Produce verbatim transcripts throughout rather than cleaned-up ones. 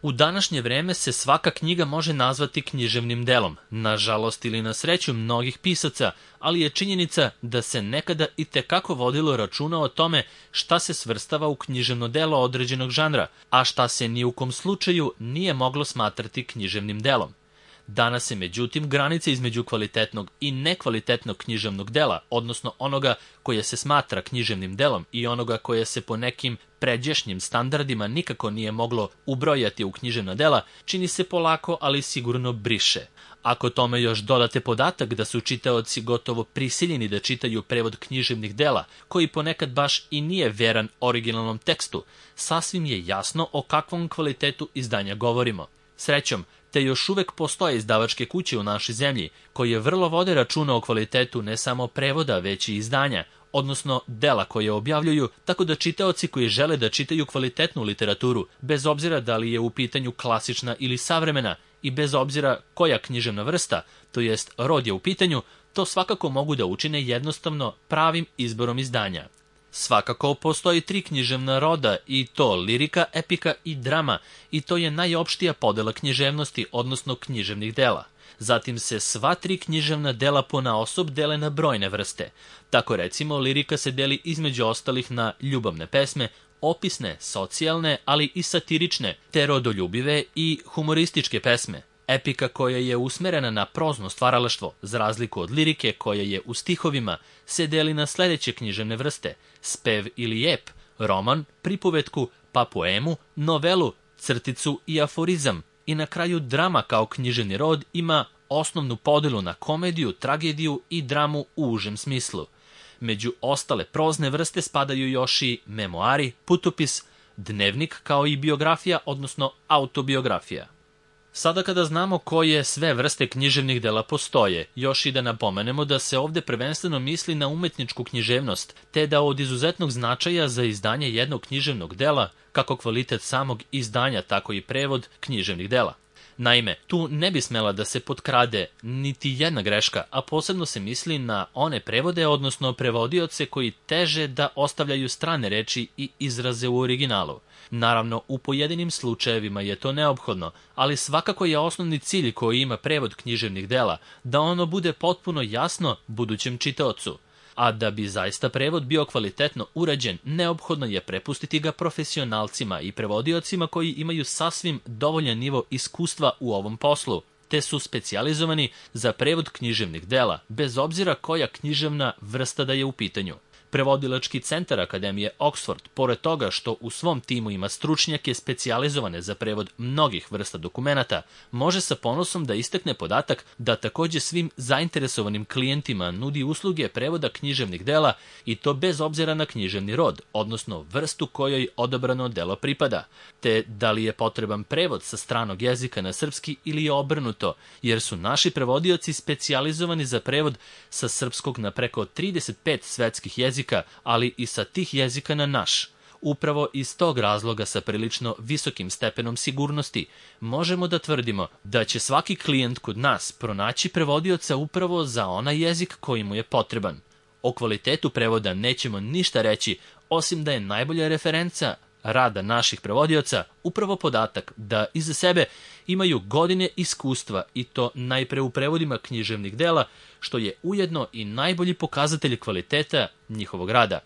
U današnje vreme se svaka knjiga može nazvati književnim delom, nažalost ili na sreću mnogih pisaca, ali je činjenica da se nekada i tekako vodilo računa o tome šta se svrstava u književno delo određenog žanra, a šta se ni u kom slučaju nije moglo smatrati književnim delom. Danas se međutim granice između kvalitetnog i nekvalitetnog književnog dela, odnosno onoga koje se smatra književnim delom i onoga koje se po nekim pređašnjim standardima nikako nije moglo ubrojati u književna dela, čini se polako, ali sigurno briše. Ako tome još dodate podatak da su čitaoci gotovo prisiljeni da čitaju prevod književnih dela, koji ponekad baš i nije veran originalnom tekstu, sasvim je jasno o kakvom kvalitetu izdanja govorimo. Srećom, te još uvek postoje izdavačke kuće u našoj zemlji, koje vrlo vode računa o kvalitetu ne samo prevoda, već i izdanja, odnosno dela koje objavljuju, tako da čitaoci koji žele da čitaju kvalitetnu literaturu, bez obzira da li je u pitanju klasična ili savremena i bez obzira koja književna vrsta, to jest rod je u pitanju, to svakako mogu da učine jednostavno pravim izborom izdanja. Svakako postoji tri književna roda, i to lirika, epika i drama, i to je najopštija podela književnosti, odnosno književnih dela. Zatim se sva tri književna dela ponaosob dele na brojne vrste. Tako recimo, lirika se deli između ostalih na ljubavne pesme, opisne, socijalne, ali i satirične, te rodoljubive i humorističke pesme. Epika koja je usmerena na prozno stvaralaštvo, za razliku od lirike koja je u stihovima, se deli na sledeće književne vrste: spev ili ep, roman, pripovetku, pa poemu, novelu, crticu i aforizam. I na kraju drama kao književni rod ima osnovnu podelu na komediju, tragediju i dramu u užem smislu. Među ostale prozne vrste spadaju još i memoari, putopis, dnevnik kao i biografija, odnosno autobiografija. Sada kada znamo koje sve vrste književnih dela postoje, još i da napomenemo da se ovde prvenstveno misli na umetničku književnost, te da od izuzetnog značaja za izdanje jednog književnog dela, kako kvalitet samog izdanja, tako i prevod književnih dela. Naime, tu ne bi smela da se potkrade niti jedna greška, a posebno se misli na one prevode, odnosno prevodioce koji teže da ostavljaju strane reči i izraze u originalu. Naravno, u pojedinim slučajevima je to neophodno, ali svakako je osnovni cilj koji ima prevod književnih dela da ono bude potpuno jasno budućem čitaocu. A da bi zaista prevod bio kvalitetno urađen, neophodno je prepustiti ga profesionalcima i prevodiocima koji imaju sasvim dovoljan nivo iskustva u ovom poslu, te su specijalizovani za prevod književnih dela, bez obzira koja književna vrsta da je u pitanju. Prevodilački centar Akademije Oxford, pored toga što u svom timu ima stručnjake specijalizovane za prevod mnogih vrsta dokumenata, može sa ponosom da istakne podatak da takođe svim zainteresovanim klijentima nudi usluge prevoda književnih dela, i to bez obzira na književni rod, odnosno vrstu kojoj odabrano delo pripada, te da li je potreban prevod sa stranog jezika na srpski ili je obrnuto, jer su naši prevodioci specijalizovani za prevod sa srpskog na preko trideset pet svetskih jezika, ali i sa tih jezika na naš. Upravo iz tog razloga sa prilično visokim stepenom sigurnosti možemo da tvrdimo da će svaki klijent kod nas pronaći prevodioca upravo za onaj jezik koji mu je potreban. O kvalitetu prevoda nećemo ništa reći, osim da je najbolja referenca rada naših prevodioca upravo podatak da iza sebe imaju godine iskustva, i to najpre u prevodima književnih dela, što je ujedno i najbolji pokazatelj kvaliteta njihovog rada.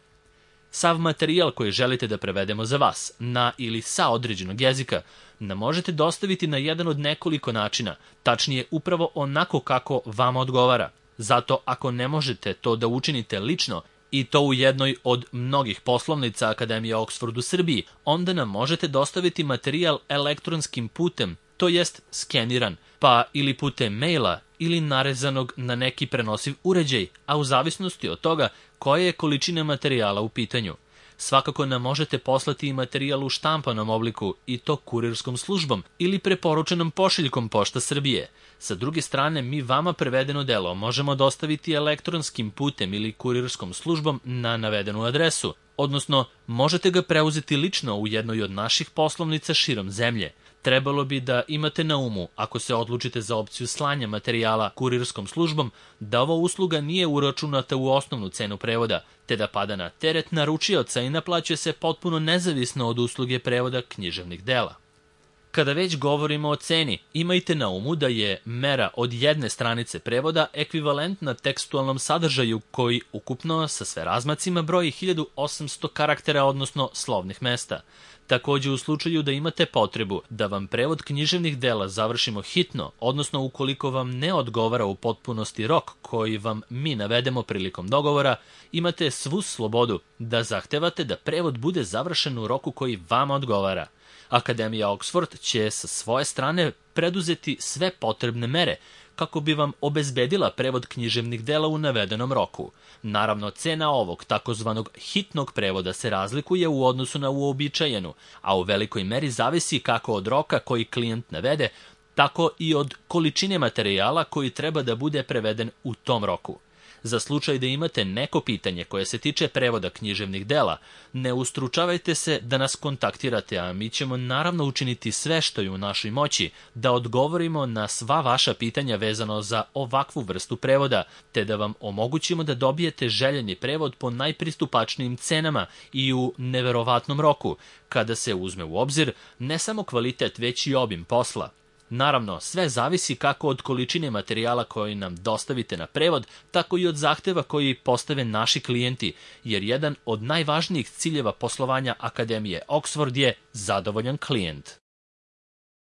Sav materijal koji želite da prevedemo za vas, na ili sa određenog jezika, nam možete dostaviti na jedan od nekoliko načina, tačnije upravo onako kako vama odgovara. Zato ako ne možete to da učinite lično, i to u jednoj od mnogih poslovnica Akademije Oxford u Srbiji, onda nam možete dostaviti materijal elektronskim putem, to jest skeniran, pa ili putem maila ili narezanog na neki prenosiv uređaj, a u zavisnosti od toga koja je količina materijala u pitanju. Svakako nam možete poslati i materijal u štampanom obliku, i to kurirskom službom ili preporučenom pošiljkom Pošta Srbije. Sa druge strane, mi vama prevedeno delo možemo dostaviti elektronskim putem ili kurirskom službom na navedenu adresu, odnosno možete ga preuzeti lično u jednoj od naših poslovnica širom zemlje. Trebalo bi da imate na umu, ako se odlučite za opciju slanja materijala kurirskom službom, da ova usluga nije uračunata u osnovnu cenu prevoda, te da pada na teret naručioca i naplaćuje se potpuno nezavisno od usluge prevoda književnih dela. Kada već govorimo o ceni, imajte na umu da je mera od jedne stranice prevoda ekvivalentna tekstualnom sadržaju koji ukupno sa sve razmacima broji hiljadu osamsto karaktera, odnosno slovnih mesta. Takođe, u slučaju da imate potrebu da vam prevod književnih dela završimo hitno, odnosno ukoliko vam ne odgovara u potpunosti rok koji vam mi navedemo prilikom dogovora, imate svu slobodu da zahtevate da prevod bude završen u roku koji vama odgovara. Akademija Oxford će sa svoje strane preduzeti sve potrebne mere kako bi vam obezbedila prevod književnih dela u navedenom roku. Naravno, cena ovog takozvanog hitnog prevoda se razlikuje u odnosu na uobičajenu, a u velikoj meri zavisi kako od roka koji klijent navede, tako i od količine materijala koji treba da bude preveden u tom roku. Za slučaj da imate neko pitanje koje se tiče prevoda književnih dela, ne ustručavajte se da nas kontaktirate, a mi ćemo naravno učiniti sve što je u našoj moći da odgovorimo na sva vaša pitanja vezano za ovakvu vrstu prevoda, te da vam omogućimo da dobijete željeni prevod po najpristupačnijim cenama i u neverovatnom roku, kada se uzme u obzir ne samo kvalitet, već i obim posla. Naravno, sve zavisi kako od količine materijala koji nam dostavite na prevod, tako i od zahteva koji postave naši klijenti, jer jedan od najvažnijih ciljeva poslovanja Akademije Oxford je zadovoljan klijent.